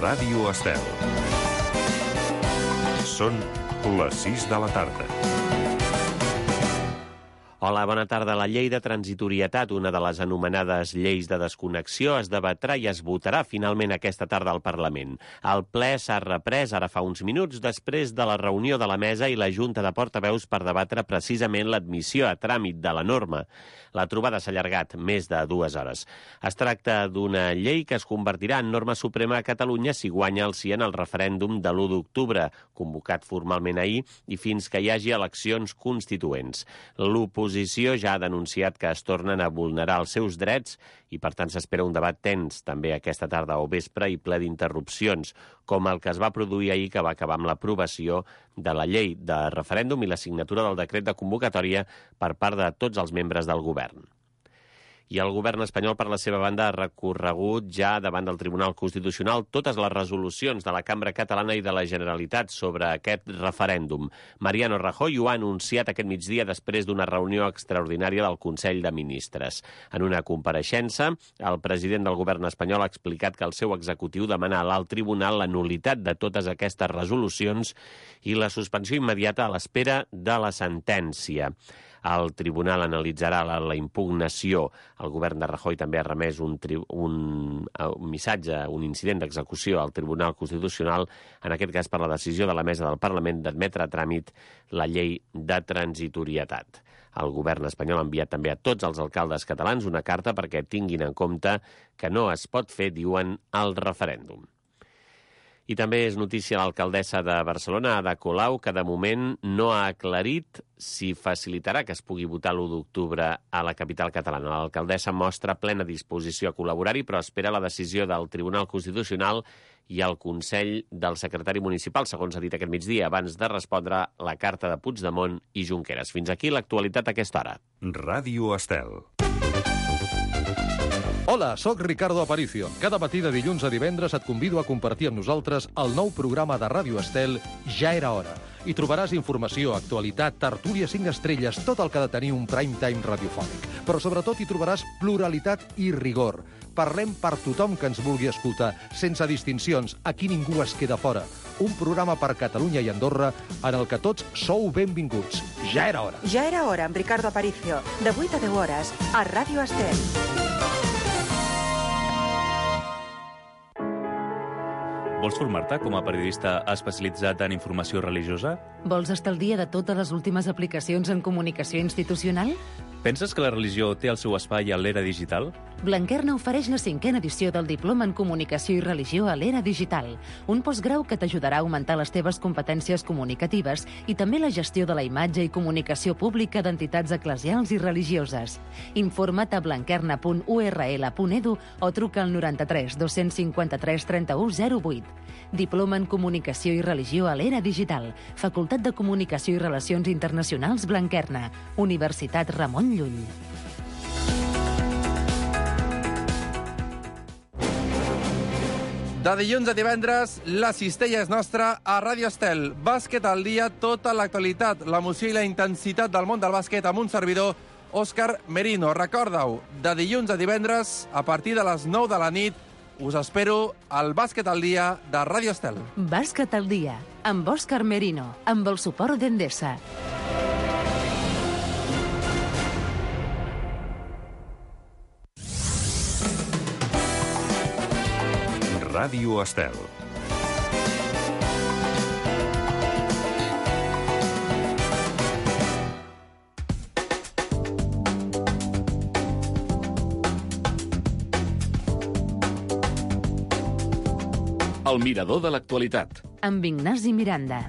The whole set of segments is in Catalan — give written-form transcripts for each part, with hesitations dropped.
Ràdio Estel. Són les 6 de la tarda. Hola, bona tarda. La llei de transitorietat, una de les anomenades lleis de desconnexió, es debatrà i es votarà finalment aquesta tarda al Parlament. El ple s'ha reprès ara fa uns minuts després de la reunió de la mesa i la Junta de Portaveus per debatre precisament l'admissió a tràmit de la norma. La trobada s'ha allargat més de 2 hores. Es tracta d'una llei que es convertirà en norma suprema a Catalunya si guanya el sí en el referèndum de l'1 d'octubre, convocat formalment ahir, i fins que hi hagi eleccions constituents. L'oposició ja ha denunciat que es tornen a vulnerar els seus drets i, per tant, s'espera un debat tens també aquesta tarda o vespre i ple d'interrupcions, com el que es va produir ahir, que va acabar amb l'aprovació de la llei de referèndum i la signatura del decret de convocatòria per part de tots els membres del govern. I el govern espanyol, per la seva banda, ha recorregut ja davant del Tribunal Constitucional totes les resolucions de la Cambra Catalana i de la Generalitat sobre aquest referèndum. Mariano Rajoy ho ha anunciat aquest migdia després d'una reunió extraordinària del Consell de Ministres. En una compareixença, el president del govern espanyol ha explicat que el seu executiu demana a l'alt tribunal la nul·litat de totes aquestes resolucions i la suspensió immediata a l'espera de la sentència. El tribunal analitzarà la impugnació. El govern de Rajoy també ha remès un missatge, un incident d'execució al Tribunal Constitucional, en aquest cas per la decisió de la mesa del Parlament d'admetre a tràmit la llei de transitorietat. El govern espanyol ha enviat també a tots els alcaldes catalans una carta perquè tinguin en compte que no es pot fer, diuen, el referèndum. I també és notícia l'alcaldessa de Barcelona, Ada Colau, que de moment no ha aclarit si facilitarà que es pugui votar l'1 d'octubre a la capital catalana. L'alcaldessa mostra plena disposició a col·laborar-hi, però espera la decisió del Tribunal Constitucional i el Consell del secretari municipal, segons ha dit aquest migdia, abans de respondre la carta de Puigdemont i Junqueras. Fins aquí l'actualitat a aquesta hora. Ràdio Estel. Hola, sóc Ricardo Aparicio. Cada matí de dilluns a divendres et convido a compartir amb nosaltres el nou programa de Ràdio Estel Ja era hora. Hi trobaràs informació, actualitat, tertúlia 5 estrelles, tot el que ha de tenir un prime time radiofònic. Però sobretot hi trobaràs pluralitat i rigor. Parlem per tothom que ens vulgui escoltar, sense distincions. Aquí ningú es queda fora. Un programa per Catalunya i Andorra en el que tots sou benvinguts. Ja era hora. Ja era hora, amb Ricardo Aparicio. De 8 a 10 hores, a Ràdio Estel. Vols formar-te com a periodista especialitzat en informació religiosa? Vols estar al dia de totes les últimes aplicacions en comunicació institucional? Penses que la religió té el seu espai a l'era digital? Blanquerna ofereix la 5a edició del Diploma en Comunicació i Religió a l'era digital, un postgrau que t'ajudarà a augmentar les teves competències comunicatives i també la gestió de la imatge i comunicació pública d'entitats eclesials i religioses. Informa't a blanquerna.url.edu o truca al 93 253 31 08. Diploma en Comunicació i Religió a l'era digital, Facultat de Comunicació i Relacions Internacionals Blanquerna, Universitat Ramon Llull. De dilluns a divendres, la cistella és nostra a Ràdio Estel. Bàsquet al dia, tota l'actualitat, l'emoció i la intensitat del món del bàsquet amb un servidor, Òscar Merino. Recorda-ho, de dilluns a divendres, a partir de les 9 de la nit, us espero al Bàsquet al dia de Ràdio Estel. Bàsquet al dia, amb Òscar Merino, amb el suport d'Endesa. Ràdio Estel. El mirador de l'actualitat. Amb Ignasi Miranda.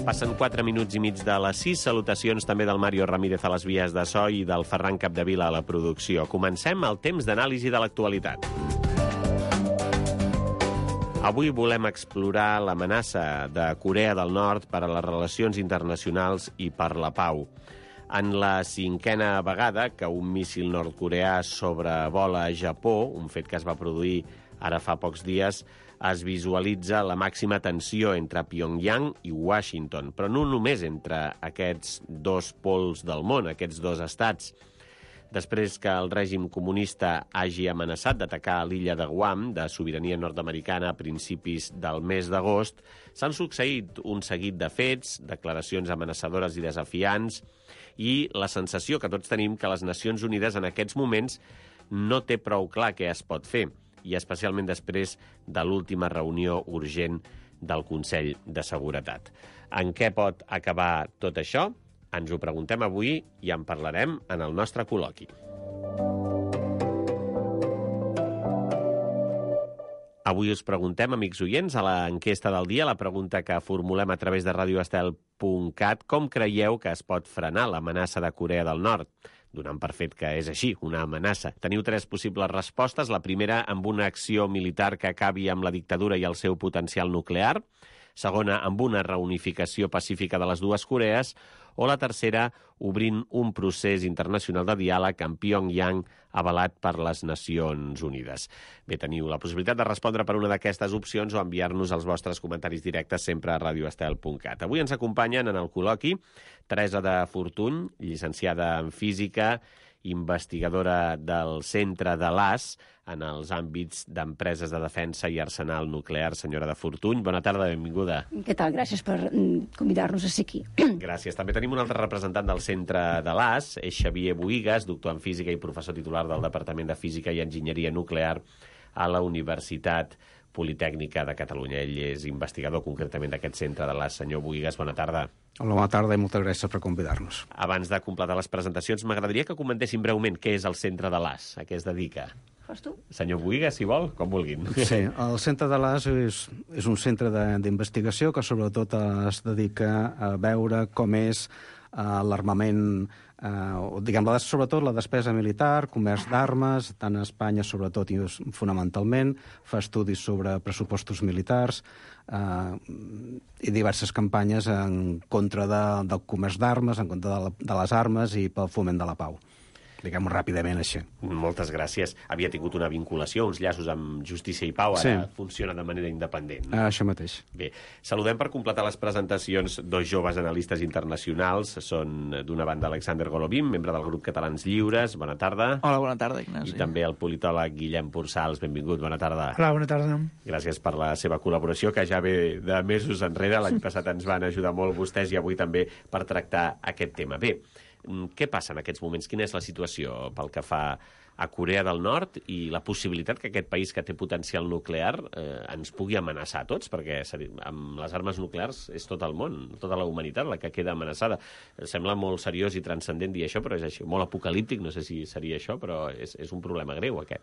Passen 4 minuts i mig de les 6. Salutacions també del Mario Ramírez a les vies de so i del Ferran Capdevila a la producció. Comencem el temps d'anàlisi de l'actualitat. Avui volem explorar l'amenaça de Corea del Nord per a les relacions internacionals i per la pau. En la 5a vegada que un míssil nord-coreà sobrevola Japó, un fet que es va produir ara fa pocs dies, es visualitza la màxima tensió entre Pyongyang i Washington, però no només entre aquests dos pols del món, aquests dos estats. Després que el règim comunista hagi amenaçat d'atacar l'illa de Guam, de sobirania nord-americana, a principis del mes d'agost, s'han succeït un seguit de fets, declaracions amenaçadores i desafiants, i la sensació que tots tenim que les Nacions Unides en aquests moments no té prou clar què es pot fer, i especialment després de l'última reunió urgent del Consell de Seguretat. En què pot acabar tot això? Ens ho preguntem avui i en parlarem en el nostre col·loqui. Avui us preguntem, amics oients, a l'enquesta del dia, la pregunta que formulem a través de radioestel.cat, com creieu que es pot frenar l'amenaça de Corea del Nord? Donant per fet que és així, una amenaça. Teniu 3 possibles respostes. La primera, amb una acció militar que acabi amb la dictadura i el seu potencial nuclear. Segona, amb una reunificació pacífica de les dues Corees. O la tercera, obrint un procés internacional de diàleg amb Pyongyang avalat per les Nacions Unides. Bé, teniu la possibilitat de respondre per una d'aquestes opcions o enviar-nos els vostres comentaris directes sempre a radioestel.cat. Avui ens acompanyen en el col·loqui Teresa de Fortuny, llicenciada en Física, investigadora del Centre de l'AS en els àmbits d'empreses de defensa i arsenal nuclear. Senyora de Fortuny, bona tarda, benvinguda. Què tal? Gràcies per convidar-nos a ser aquí. Gràcies. També tenim un altre representant del Centre de l'AS, és Xavier Bohigas, doctor en Física i professor titular del Departament de Física i Enginyeria Nuclear a la Universitat Politècnica de Catalunya. Ell és investigador concretament d'aquest Centre de l'AS. Senyor Bohigas, bona tarda. Hola, bona tarda i moltes gràcies per convidar-nos. Abans de completar les presentacions, m'agradaria que comentéssim breument què és el Centre de l'AS, a què es dedica. Fas tu? Senyor Bohigas, si vol, com vulguin. Sí, el Centre de l'AS és un centre d'investigació que sobretot es dedica a veure com és l'armament, sobretot la despesa militar, comerç d'armes, tant a Espanya sobretot i fonamentalment, fa estudis sobre pressupostos militars i diverses campanyes en contra del comerç d'armes, en contra de les armes i pel foment de la pau. Diguem-ho ràpidament així. Moltes gràcies. Havia tingut una vinculació, uns llaços amb Justícia i Pau, ara funciona de manera independent. Això mateix. Bé, saludem per completar les presentacions 2 joves analistes internacionals. Són, d'una banda, Alexander Golovin, membre del grup Catalans Lliures. Bona tarda. Hola, bona tarda, Ignasi. I també el politòleg Guillem Pursals. Benvingut, bona tarda. Hola, bona tarda. Gràcies per la seva col·laboració, que ja ve de mesos enrere. L'any passat ens van ajudar molt vostès i avui també per tractar aquest tema. Bé, què passa en aquests moments? Quina és la situació pel que fa a Corea del Nord i la possibilitat que aquest país que té potencial nuclear ens pugui amenaçar a tots? Perquè amb les armes nuclears és tot el món, tota la humanitat la que queda amenaçada. Sembla molt seriós i transcendent dir això, però és així, molt apocalíptic, no sé si seria això, però és un problema greu aquest.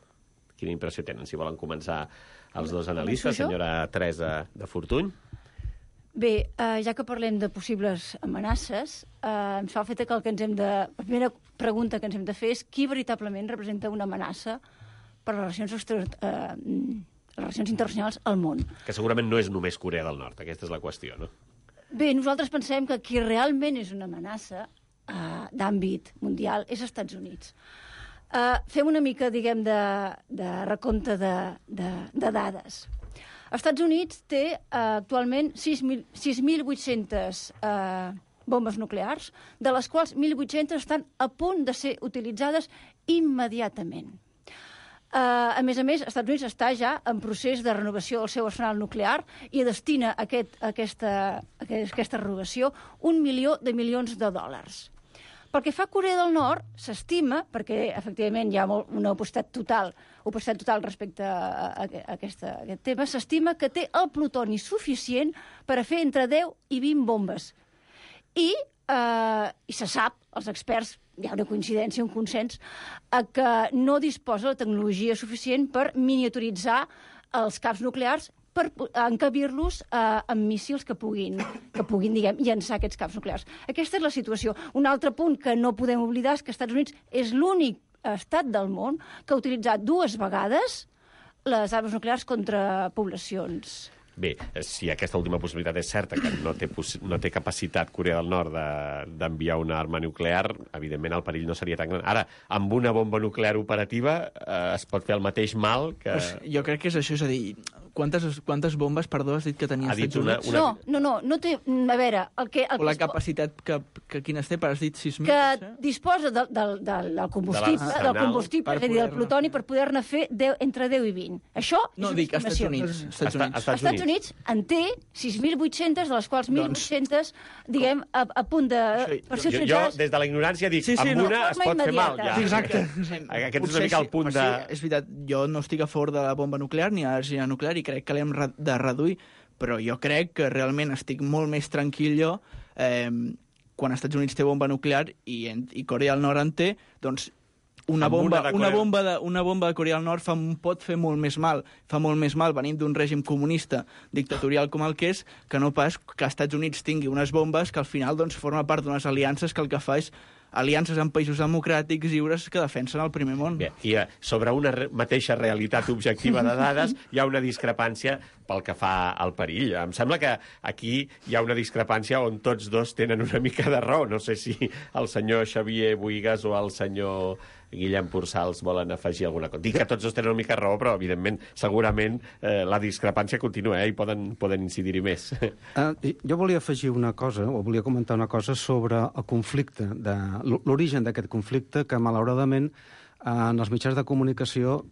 Quina impressió tenen? Si volen començar els dos analistes, senyora Teresa de Fortuny. Bé, ja que parlem de possibles amenaces, em fa el fet que la primera pregunta que ens hem de fer és qui veritablement representa una amenaça per les relacions internacionals al món. Que segurament no és només Corea del Nord, aquesta és la qüestió, no? Bé, nosaltres pensem que qui realment és una amenaça d'àmbit mundial és els Estats Units. Fem una mica, diguem, de recompte de dades. Els Estats Units té actualment 6.800 bombes nuclears, de les quals 1.800 estan a punt de ser utilitzades immediatament. A més, els Estats Units està ja en procés de renovació del seu arsenal nuclear i destina a aquesta renovació $1 milió de milions de dòlars. Pel que fa a Corea del Nord, s'estima, perquè efectivament hi ha una opacitat total respecte a aquest tema, s'estima que té el plutoni suficient per a fer entre 10 i 20 bombes. I se sap, els experts, hi ha una coincidència, un consens, que no disposa de tecnologia suficient per miniaturitzar els caps nuclears per encabir-los amb míssils que puguin diguem, llançar aquests caps nuclears. Aquesta és la situació. Un altre punt que no podem oblidar és que els Estats Units és l'únic estat del món que ha utilitzat 2 vegades les armes nuclears contra poblacions. Bé, si aquesta última possibilitat és certa, que no té capacitat Corea del Nord d'enviar una arma nuclear, evidentment el perill no seria tan gran. Ara, amb una bomba nuclear operativa es pot fer el mateix mal que... Pues jo crec que és això, és a dir, quantes bombes, perdó, has dit que tenia els Estats Units? No té... A veure, o la capacitat que quines té, has dit 6.000? Que disposa del combustible, és a dir, del plutoni, per poder-ne fer entre 10 i 20. Això és no, dic, als Estats Units en té 6.800, de les quals 1.800, diguem, a punt de... Per ser utilitzades... Jo, des de la ignorància, dic, amb una es pot fer mal, ja. Exacte. Aquest és una mica el punt de... És veritat, jo no estic a favor de la bomba nuclear ni a l'energia nuclear i crec que l'hem de reduir, però jo crec que realment estic molt més tranquil jo quan els Estats Units té bomba nuclear i Corea del Nord en té, doncs una bomba de Corea del Nord pot fer molt més mal. Fa molt més mal venint d'un règim comunista dictatorial com el que és, que no pas que els Estats Units tingui unes bombes que al final doncs, forma part d'unes aliances que el que fa és aliances amb països democràtics lliures que defensen el primer món. Bé, i sobre una mateixa realitat objectiva de dades hi ha una discrepància pel que fa al perill. Em sembla que aquí hi ha una discrepància on tots dos tenen una mica de raó. No sé si el senyor Xavier Buigas o el senyor Guillem Pursals volen afegir alguna cosa. Dic que tots dos tenen una mica de raó, però, evidentment, segurament la discrepància continua i poden incidir-hi més. Jo volia afegir una cosa, o volia comentar una cosa sobre el conflicte, l'origen d'aquest conflicte, que, malauradament, en els mitjans de comunicació,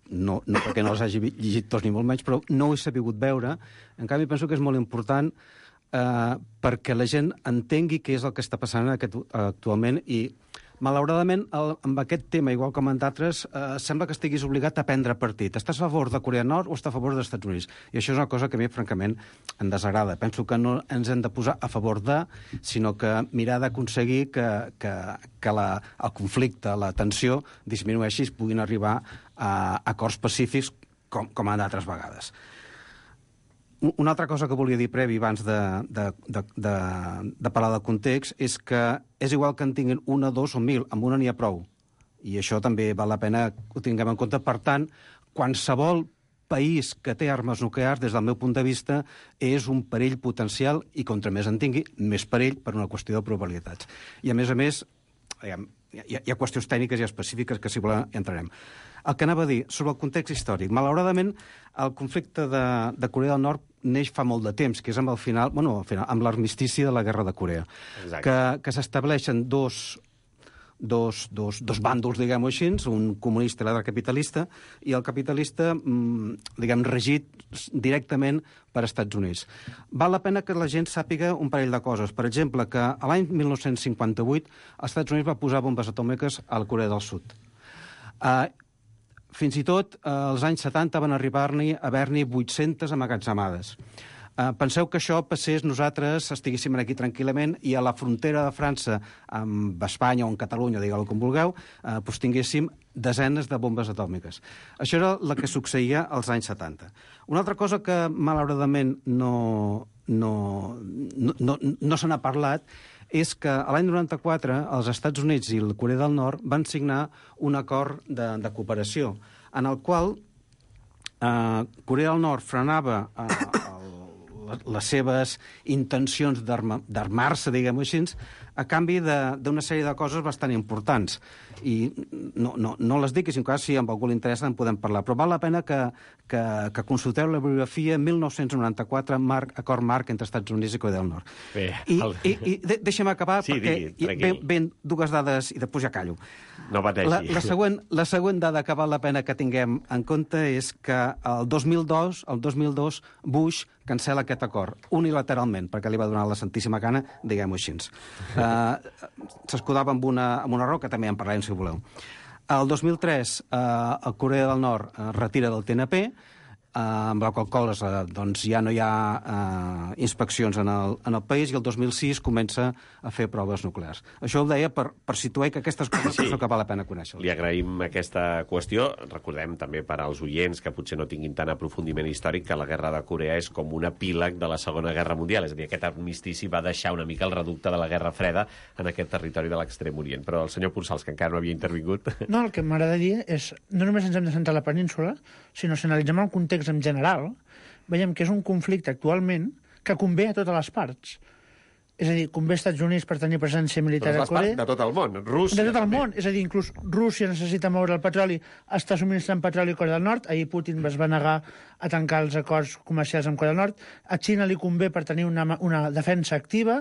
no perquè no els hagi llegit tots ni molt menys, però no ho he sabut veure. En canvi, penso que és molt important perquè la gent entengui què és el que està passant actualment i malauradament, amb aquest tema, igual com en d'altres, sembla que estiguis obligat a prendre partit. Estàs a favor de Corea del Nord o estàs a favor dels Estats Units? I això és una cosa que a mi, francament, em desagrada. Penso que no ens hem de posar a favor de, sinó que mirar d'aconseguir que el conflicte, la tensió, disminueixi i es puguin arribar a acords pacífics com en d'altres vegades. Una altra cosa que volia dir previ abans de parlar del context és que és igual que en tinguin una, dos o 1.000, amb una n'hi ha prou. I això també val la pena que ho tinguem en compte. Per tant, qualsevol país que té armes nuclears, des del meu punt de vista, és un perill potencial i contra més en tingui, més perill per una qüestió de probabilitats. I a més, hi ha qüestions tècniques i específiques que, si volem, entrarem. El que anava a dir, sobre el context històric. Malauradament, el conflicte de Corea del Nord neix fa molt de temps, que és amb amb l'armistici de la Guerra de Corea. Que s'estableixen dos bàndols, diguem-ho així, un comunista i l'altre capitalista, i el capitalista, regit directament per Estats Units. Val la pena que la gent sàpiga un parell de coses. Per exemple, que l'any 1958 els Estats Units va posar bombes atòmiques a la Corea del Sud. Fins i tot, als anys 70 van arribar-n'hi a haver-n'hi 800 amagatzemades. Penseu que això passés, nosaltres estiguéssim aquí tranquil·lament i a la frontera de França amb Espanya o amb Catalunya, digueu-ho com vulgueu, tinguéssim desenes de bombes atòmiques. Això era el que succeïa als anys 70. Una altra cosa que, malauradament, no se n'ha parlat és que l'any 94 els Estats Units i la Corea del Nord van signar un acord de cooperació en el qual Corea del Nord frenava les seves intencions d'armar-se, diguem-ho així, a canvi d'una sèrie de coses bastant importants. I no les dic, i si en cas, si amb algú li interessa en podem parlar. Però val la pena que consulteu la bibliografia 1994, acord marc entre Estats Units i Corea del Nord. I deixa'm acabar, perquè ven dues dades i després ja callo. No pateixi. La següent dada que val la pena que tinguem en compte és que el 2002 Bush cancela aquest acord, unilateralment, perquè li va donar la santíssima gana, diguem-ho així. S'escudava amb una raó, que també en parlarem, si voleu. El 2003, el Corea del Nord retira del TNP amb la qual cosa doncs, ja no hi ha inspeccions en el país, i el 2006 comença a fer proves nuclears. Això ho deia per situar que aquestes coses sí. Que val la pena conèixer. Li agraïm aquesta qüestió. Recordem també per als oients que potser no tinguin tant aprofundiment històric que la Guerra de Corea és com un epíleg de la Segona Guerra Mundial. És a dir, aquest armistici va deixar una mica el reducte de la Guerra Freda en aquest territori de l'Extrem Orient. Però el senyor Ponsals, que encara no havia intervingut... No, el que m'agradaria és, no només ens hem de centrar a la península, sinó si analitzem el context en general, veiem que és un conflicte actualment que convé a totes les parts. És a dir, convé als Estats Units per tenir presència militar a Corea. De tot el món, Rússia... De tot el món, és a dir, inclús Rússia necessita moure el petroli, està subministrant petroli a Corea del Nord, ahir Putin es va negar a tancar els acords comercials amb Corea del Nord, a Xina li convé per tenir una defensa activa,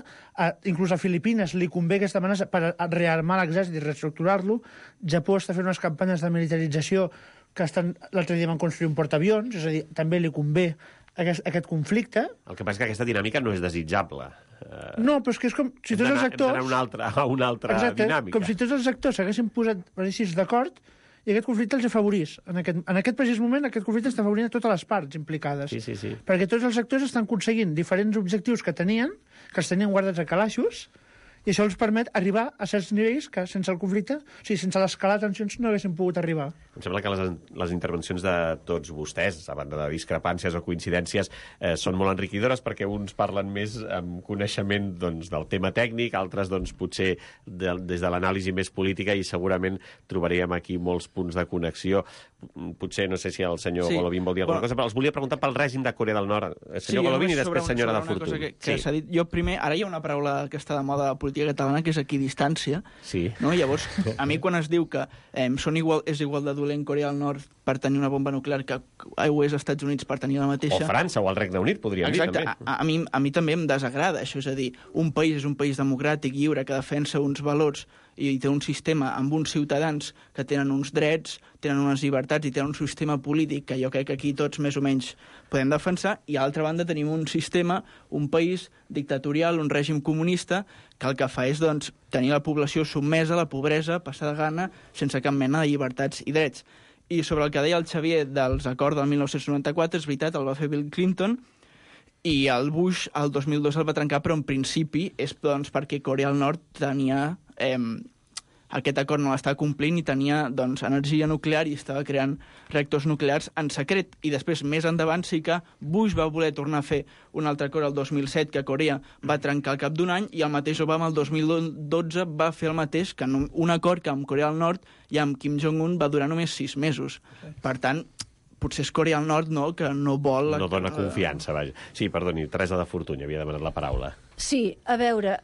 inclús a Filipines li convé aquesta amenaça per rearmar l'exèrcit i reestructurar-lo, Japó està fent unes campanyes de militarització que l'altre dia van construir un portaavions, és a dir, també li convé aquest conflicte. El que passa és que aquesta dinàmica no és desitjable. No, però és que és com si tots els actors... Hem d'anar a una altra exacte, dinàmica. Com si tots els actors s'haguessin posat d'acord i aquest conflicte els afavorís. En aquest precís moment, aquest conflicte està afavorint a totes les parts implicades. Sí. Perquè tots els actors estan aconseguint diferents objectius que els tenien guardats a calaixos, i això els permet arribar a certs nivells que sense el conflicte, o sigui, sense l'escalar de tensions, no haguessin pogut arribar. Em sembla que les intervencions de tots vostès, a banda de discrepàncies o coincidències, són molt enriquidores perquè uns parlen més amb coneixement doncs, del tema tècnic, altres doncs, potser des de l'anàlisi més política, i segurament trobaríem aquí molts punts de connexió. Potser, no sé si el senyor Golovin vol dir alguna cosa, però els volia preguntar pel règim de Corea del Nord. Senyor Golovin i després senyora de Fortuny. Que s'ha dit. Jo primer, ara hi ha una paraula que està de moda a la política catalana, que és equidistància. Sí. No? Llavors, a mi quan es diu que és igual de dolent Corea del Nord per tenir una bomba nuclear que ho és als Estats Units per tenir la mateixa... O França o el Regne Unit, podríem dir, també. A mi també em desagrada això, és a dir, un país és un país democràtic, lliure, que defensa uns valors i té un sistema amb uns ciutadans que tenen uns drets, tenen unes llibertats i tenen un sistema polític que jo crec que aquí tots més o menys podem defensar, i a l'altra banda tenim un sistema, un país dictatorial, un règim comunista, que el que fa és doncs, tenir la població submesa a la pobresa, passar de gana, sense cap mena de llibertats i drets. I sobre el que deia el Xavier dels acords del 1994, és veritat, el va fer Bill Clinton, i el Bush el 2002 el va trencar, però en principi és doncs, perquè Corea del Nord tenia... aquest acord no l'estava complint i tenia doncs, energia nuclear i estava creant reactors nuclears en secret. I després, més endavant, sí que Bush va voler tornar a fer un altre acord el 2007 que Corea va trencar al cap d'un any, i el mateix Obama el 2012 va fer el mateix, que un acord que amb Corea del Nord i amb Kim Jong-un va durar només 6 mesos. Per tant, potser és Corea del Nord que no vol... No dona confiança, vaja. Sí, perdoni, Teresa de Fortuny havia demanat la paraula. Sí, a veure...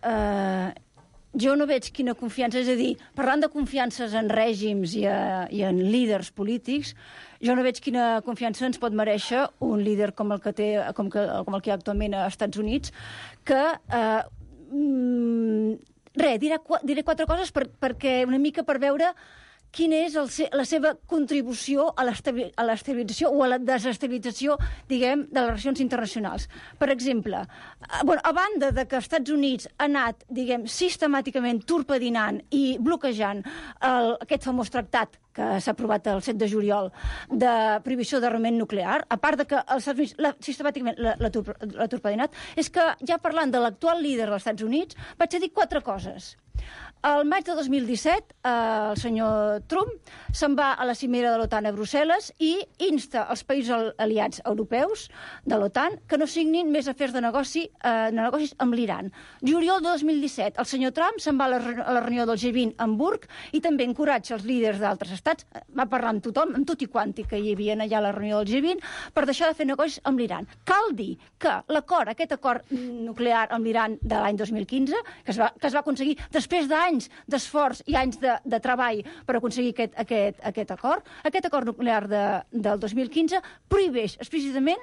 Jo no veig quina confiança, és a dir, parlant de confiances en règims i en líders polítics, jo no veig quina confiança ens pot mereixer un líder com el que hi ha actualment als Estats Units, que... diré 4 coses perquè una mica per veure quina és la seva contribució a l'estabilització o a la desestabilització, diguem, de les relacions internacionals. Per exemple, a banda de que els Estats Units ha anat, diguem, sistemàticament torpedinant i bloquejant aquest famós tractat que s'ha aprovat el 7 de juliol de prohibició d'armament nuclear, a part de que els Estats Units sistemàticament l'ha torpedinat, és que, ja parlant de l'actual líder dels Estats Units, vaig a dir 4 coses. Al maig de 2017, el senyor Trump se'n va a la cimera de l'OTAN a Brussel·les i insta els països aliats europeus de l'OTAN que no signin més afers de negocis amb l'Iran. Juliol de 2017, el senyor Trump se'n va a la reunió del G20 a Hamburg i també encoratja els líders d'altres estats, va parlar amb tothom, amb tot i quanti que hi havia allà a la reunió del G20, per deixar de fer negocis amb l'Iran. Cal dir que aquest acord nuclear amb l'Iran de l'any 2015, que es va aconseguir després d'anys d'esforç i anys de treball per aconseguir aquest acord nuclear del 2015, prohibeix explícitament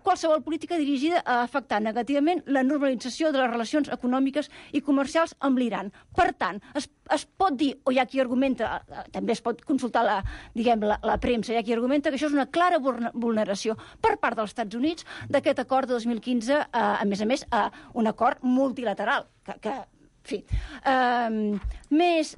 qualsevol política dirigida a afectar negativament la normalització de les relacions econòmiques i comercials amb l'Iran. Per tant, es pot dir, o hi ha qui argumenta, també es pot consultar la premsa, hi ha qui argumenta que això és una clara vulneració per part dels Estats Units d'aquest acord de 2015, a més, un acord multilateral, que fi, més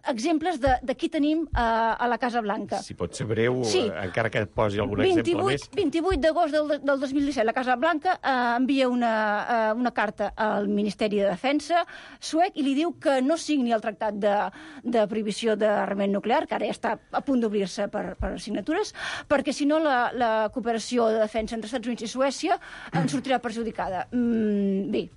exemples de qui tenim a la Casa Blanca. Si pot ser breu, Sí. encara que et posi algun exemple més. 28 d'agost del 2017, la Casa Blanca envia una carta al Ministeri de Defensa suec i li diu que no signi el tractat de prohibició d'armament nuclear, que ara ja està a punt d'obrir-se per signatures, perquè si no la cooperació de defensa entre Estats Units i Suècia en sortirà perjudicada. Bé,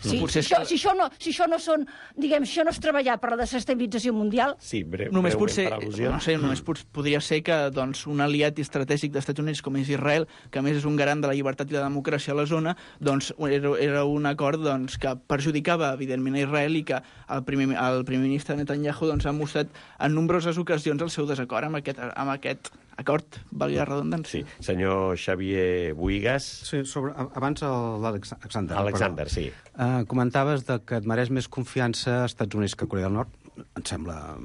si això no són, diguem, això no és treballar per la desestabilització mundial... Sí, només breument per al·lusions. no sé, només podria ser que doncs, un aliat estratègic dels Estats Units com és Israel, que a més és un garant de la llibertat i la democràcia a la zona, doncs era un acord doncs, que perjudicava evidentment a Israel i que el primer ministre Netanyahu doncs, ha mostrat en nombroses ocasions el seu desacord amb aquest acord, valgui la redundància. Sí. Senyor Xavier Buigas. Sí, abans l'Alexander. Alexander, sí. Comentaves que et mereix més confiança als Estats Units que a Corea del Nord. Em sembla,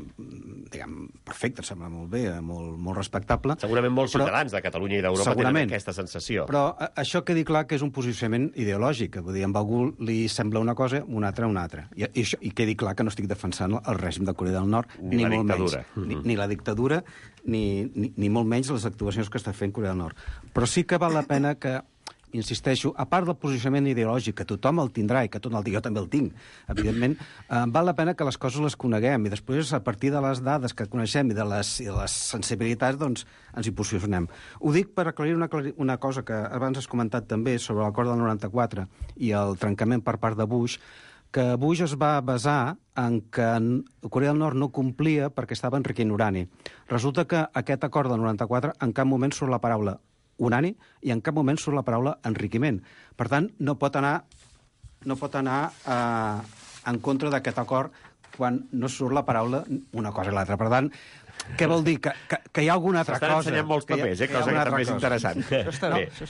diguem, perfecte, em sembla molt bé, molt respectable. Segurament molts ciutadans de Catalunya i d'Europa tenen aquesta sensació. Però això quedi clar que és un posicionament ideològic. Vull dir, a algú li sembla una cosa, un altre una altra. I quedi clar que no estic defensant el règim de Corea del Nord, ni molt menys. Ni la dictadura, ni molt menys les actuacions que està fent Corea del Nord. Però sí que val la pena que, insisteixo, a part del posicionament ideològic, que tothom el tindrà i que jo també el tinc, evidentment, val la pena que les coses les coneguem i després, a partir de les dades que coneixem i de les sensibilitats, doncs ens hi posicionem. Ho dic per aclarir una cosa que abans has comentat també sobre l'acord del 94 i el trencament per part de Bush, que Bush es va basar en que Corea del Nord no complia perquè estava enriquint urani. Resulta que aquest acord del 94 en cap moment surt la paraula urani i en cap moment surt la paraula enriquiment. Per tant, no pot anar en contra d'aquest acord quan no surt la paraula una cosa i l'altra. Per tant, què vol dir? Que hi ha alguna altra cosa. S'estan ensenyant molts papers, cosa que també és interessant.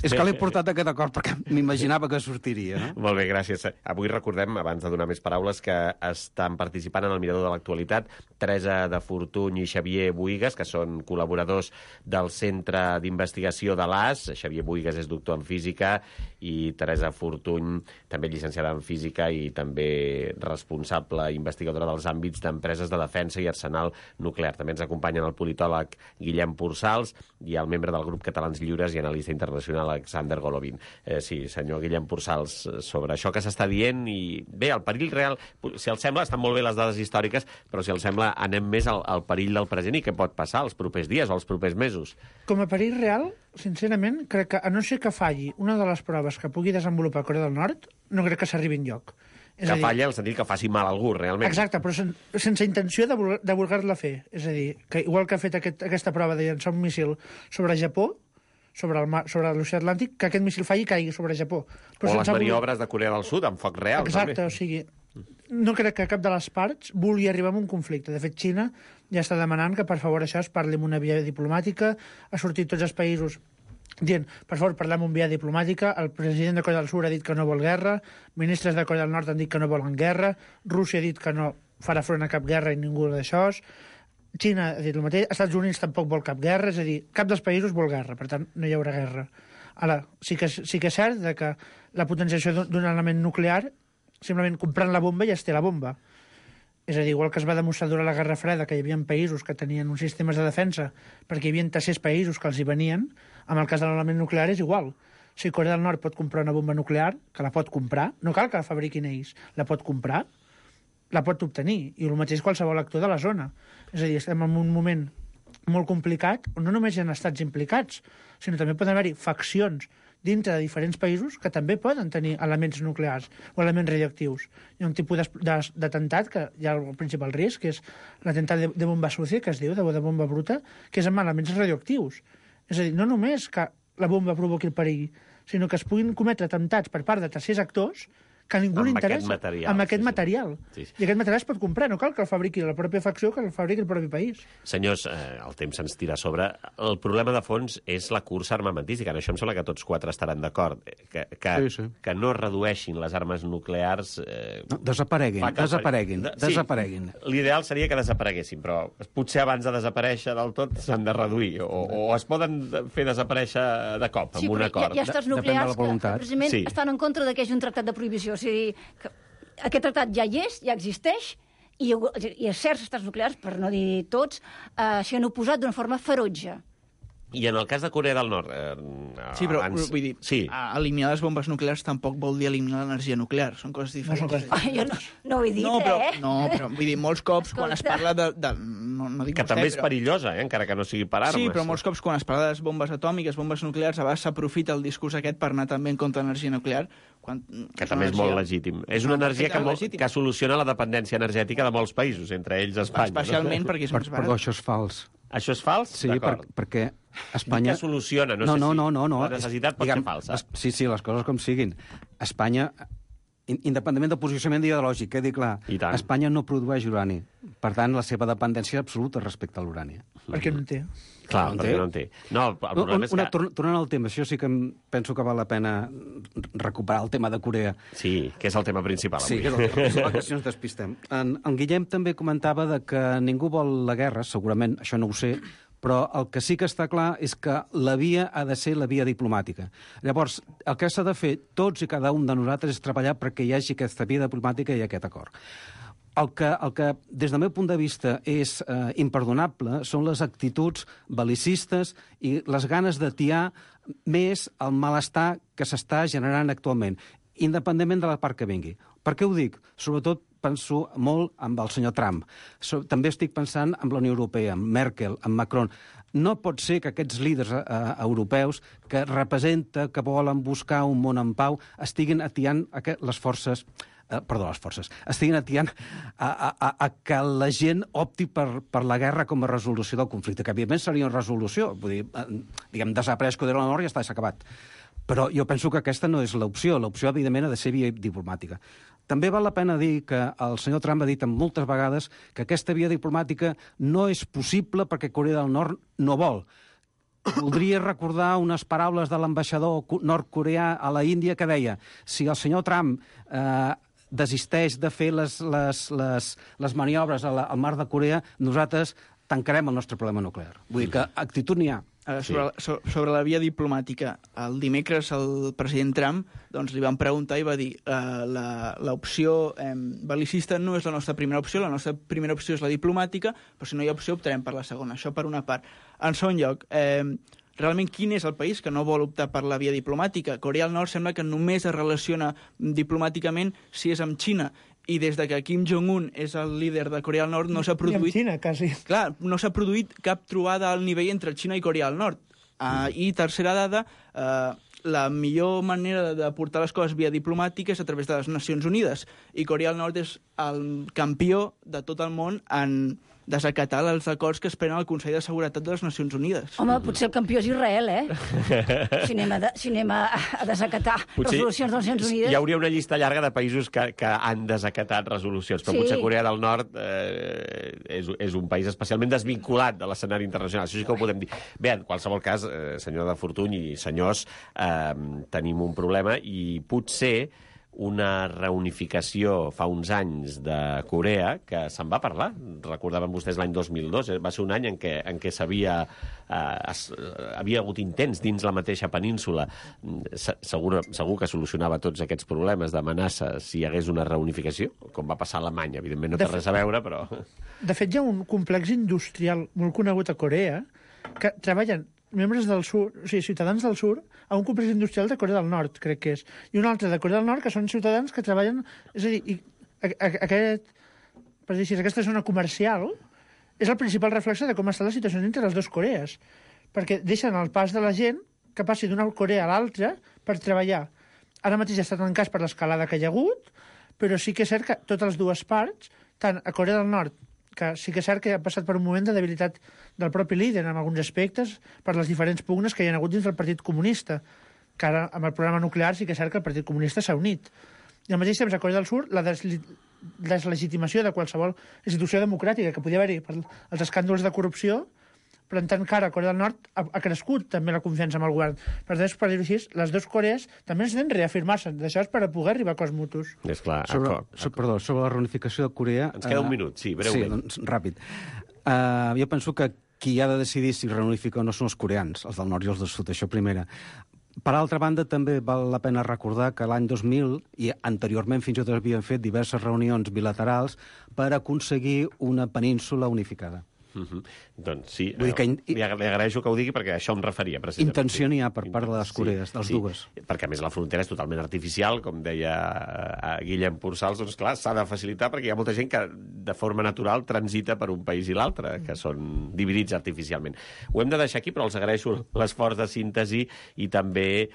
És que l'he portat aquest acord perquè m'imaginava que sortiria. No? Molt bé, gràcies. Avui recordem, abans de donar més paraules, que estan participant en el Mirador de l'Actualitat Teresa de Fortuny i Xavier Buigas, que són col·laboradors del Centre d'Investigació de l'AS. Xavier Buigas és doctor en Física i Teresa Fortuny, també llicenciada en Física i també responsable investigadora dels àmbits d'empreses de defensa i arsenal nuclear. També ens acompanyen el politòleg Guillem Pursals i el membre del grup Catalans Lliures i analista internacional Alexander Golovin. Sí, senyor Guillem Pursals, sobre això que s'està dient i bé, el perill real, si els sembla, estan molt bé les dades històriques, però si els sembla, anem més al perill del present i què pot passar els propers dies o els propers mesos. Com a perill real, sincerament, crec que a no ser que falli una de les proves que pugui desenvolupar Corea del Nord, no crec que s'arribi enlloc. Que falla en el sentit que faci mal a algú, realment. Exacte, però sense intenció de voler-la fer. És a dir, que igual que ha fet aquesta prova de llançar un míssil sobre Japó, sobre l'oceà Atlàntic, que aquest míssil falli i caigui sobre Japó. Però o les maniobres de Corea del Sud, amb foc real. Exacte, també. O sigui, no crec que cap de les parts vulgui arribar a un conflicte. De fet, Xina ja està demanant que, per favor, això es parli amb una via diplomàtica, ha sortit tots els països dient, per favor, parlem amb via diplomàtica, el president de Corea del Sud ha dit que no vol guerra, ministres de Corea del Nord han dit que no volen guerra, Rússia ha dit que no farà front a cap guerra i ningú d'això, Xina ha dit el mateix, Estats Units tampoc vol cap guerra, és a dir, cap dels països vol guerra, per tant, no hi haurà guerra. Ara, sí que és cert que la potenciació d'un element nuclear, simplement comprant la bomba ja es té la bomba. És a dir, igual que es va demostrar durant la Guerra Freda que hi havia països que tenien uns sistemes de defensa perquè hi havia tercers països que els hi venien, amb el cas de l'element nuclear és igual. Si Corea del Nord pot comprar una bomba nuclear, que la pot comprar, no cal que la fabriquin ells, la pot comprar, la pot obtenir, i el mateix qualsevol actor de la zona. És a dir, estem en un moment molt complicat, on no només hi ha estats implicats, sinó també poden haver-hi faccions dintre de diferents països que també poden tenir elements nuclears o elements radioactius. Hi ha un tipus d'atemptat que hi ha el principal risc, que és l'atemptat de bomba sucia, que es diu, de bomba bruta, que és amb elements radioactius. És a dir, no només que la bomba provoqui el perill, sinó que es puguin cometre atemptats per part de tercers actors que a ningú li interessa, amb aquest material. Sí. I aquest material es pot comprar, no cal que el fabriqui la pròpia facció, que el fabriqui el propi país. Senyors, el temps se'ns tira a sobre. El problema de fons és la cursa armamentística. En això em sembla que tots quatre estaran d'acord. Que no redueixin les armes nuclears... No, desapareguin. L'ideal seria que desapareguessin, però potser abans de desaparèixer del tot s'han de reduir, o es poden fer desaparèixer de cop, amb un acord. Hi ha estats nuclears que precisament estan en contra de que hi hagi un tractat de prohibició. O sigui, aquest tractat ja hi és, ja existeix, i certs estats nuclears, per no dir tots, s'hi han oposat d'una forma ferotge. I en el cas de Corea del Nord... Sí, però vull dir, eliminar les bombes nuclears tampoc vol dir eliminar l'energia nuclear. Són coses diferents. Jo no ho he dit, No, però vull dir, molts cops quan es parla de no dic que també és perillosa, encara que no sigui per armes. Sí, però molts cops quan es parla de les bombes atòmiques, bombes nuclears, a vegades s'aprofita el discurs aquest per anar també en contra de l'energia nuclear. Que també és molt legítim. És una energia que soluciona la dependència energètica de molts països, entre ells Espanya. Especialment perquè és més barat. Però això és fals. Això és fals? Sí, perquè Espanya... Que soluciona, no sé si la necessitat pot ser falsa. Sí, les coses com siguin. Espanya, independentment del posicionament ideològic, quedi clar, Espanya no produeix urani. Per tant, la seva dependència és absoluta respecte a l'urani. Perquè no en té. Clar, perquè no en té. No, el problema és que... Tornant al tema, això sí que penso que val la pena recuperar el tema de Corea. Sí, que és el tema principal avui. Sí, que és el tema principal, que si no ens despistem. En Guillem també comentava que ningú vol la guerra, segurament, això no ho sé, però el que sí que està clar és que la via ha de ser la via diplomàtica. Llavors, el que s'ha de fer tots i cada un de nosaltres és treballar perquè hi hagi aquesta via diplomàtica i aquest acord. El que des del meu punt de vista, és imperdonable són les actituds bel·licistes i les ganes d'atiar més el malestar que s'està generant actualment, independentment de la part que vingui. Per què ho dic? Sobretot penso molt amb el senyor Trump. També estic pensant en la Unió Europea, amb Merkel, amb Macron. No pot ser que aquests líders europeus que representa, que volen buscar un món en pau, estiguin atiant les forces, estiguin atiant a que la gent opti per la guerra com a resolució del conflicte, que evidentment seria una resolució, vull dir, diguem, desapareix Corea del Nord i ja està, s'ha acabat. Però jo penso que aquesta no és l'opció. L'opció, evidentment, ha de ser via diplomàtica. També val la pena dir que el senyor Trump ha dit moltes vegades que aquesta via diplomàtica no és possible perquè Corea del Nord no vol. Voldria recordar unes paraules de l'ambaixador nord-coreà a la Índia que deia: si el senyor Trump desisteix de fer les maniobres al mar de Corea, nosaltres tancarem el nostre problema nuclear. Vull dir que actitud n'hi ha. Sobre la via diplomàtica, el dimecres el president Trump li van preguntar i va dir l'opció bel·licista no és la nostra primera opció, la nostra primera opció és la diplomàtica, però si no hi ha opció optarem per la segona. Això per una part. En segon lloc, realment quin és el país que no vol optar per la via diplomàtica? Corea del Nord sembla que només es relaciona diplomàticament si és amb Xina, i des de que Kim Jong-un és el líder de Corea del Nord no s'ha produït... I amb Xina, quasi. Clar, no s'ha produït cap trobada al nivell entre Xina i Corea del Nord. I tercera dada, la millor manera de portar les coses via diplomàtica és a través de les Nacions Unides. I Corea del Nord és el campió de tot el món en desacatar els acords que es prenen al Consell de Seguretat de les Nacions Unides. Home, potser el campió és Israel, Si anem a desacatar resolucions de les Nacions Unides... Hi hauria una llista llarga de països que han desacatat resolucions, però potser Corea del Nord és un país especialment desvinculat de l'escenari internacional. Això sí que ho podem dir. Bé, en qualsevol cas, senyor de Fortuny i senyors, tenim un problema i potser una reunificació fa uns anys de Corea, que se'n va parlar. Recordaven vostès l'any 2002, va ser un any en què havia hagut intents dins la mateixa península. Segur que solucionava tots aquests problemes d'amenaça si hi hagués una reunificació, com va passar a Alemanya. Evidentment no té res a veure, però... De fet, hi ha un complex industrial molt conegut a Corea que treballen membres del sud, o sigui, ciutadans del sud, a un complex industrial de Corea del Nord, crec que és. I un altre de Corea del Nord, que són ciutadans que treballen... És a dir, aquesta zona comercial és el principal reflexe de com està la situació entre les dues Corees, perquè deixen el pas de la gent que passi d'una Corea a l'altra per treballar. Ara mateix està tancat per l'escalada que hi ha hagut, però sí que és cert que totes les dues parts, tant a Corea del Nord, que sí que és cert que ha passat per un moment de debilitat del propi líder en alguns aspectes per les diferents pugnes que hi ha hagut dins del Partit Comunista, que ara amb el programa nuclear sí que és cert que el Partit Comunista s'ha unit. I al mateix temps a Corea del Sud la deslegitimació de qualsevol institució democràtica que podia haver-hi per els escàndols de corrupció, però en tant que ara Corea del Nord ha crescut també la confiança amb el govern. Per tant, per dir-ho així, les dues Corees també necessiten reafirmar-se. D'això és per a poder arribar a acords mutus. És clar. Sobre la reunificació de Corea... Ens queda un minut, sí, breument. Sí, doncs, ràpid. Jo penso que qui ha de decidir si reunifica o no són els coreans, els del nord i els del sud, això primera. Per altra banda, també val la pena recordar que l'any 2000, i anteriorment fins i tot havien fet diverses reunions bilaterals per aconseguir una península unificada. Doncs sí, li agraeixo que ho digui perquè això em referia precisament. Intenció n'hi ha per part de les Corees, dels dues. Perquè a més la frontera és totalment artificial, com deia Guillem Pursals, doncs clar, s'ha de facilitar perquè hi ha molta gent que de forma natural transita per un país i l'altre, que són dividits artificialment. Ho hem de deixar aquí, però els agraeixo l'esforç de síntesi i també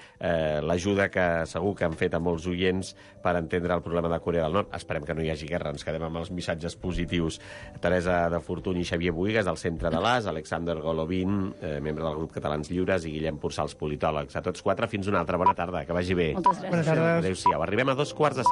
l'ajuda que segur que han fet a molts oients per entendre el problema de Corea del Nord. Esperem que no hi hagi guerra, ens quedem amb els missatges positius. Teresa de Fortuny i Xavier Buigas, del Centre de l'AS, Alexander Golovin, membre del grup Catalans Lliures, i Guillem Pursals, politòlegs. A tots quatre, fins una altra. Bona tarda, que vagi bé. Moltes gràcies. Bona tarda. Adéu-siau. Arribem a 2:15.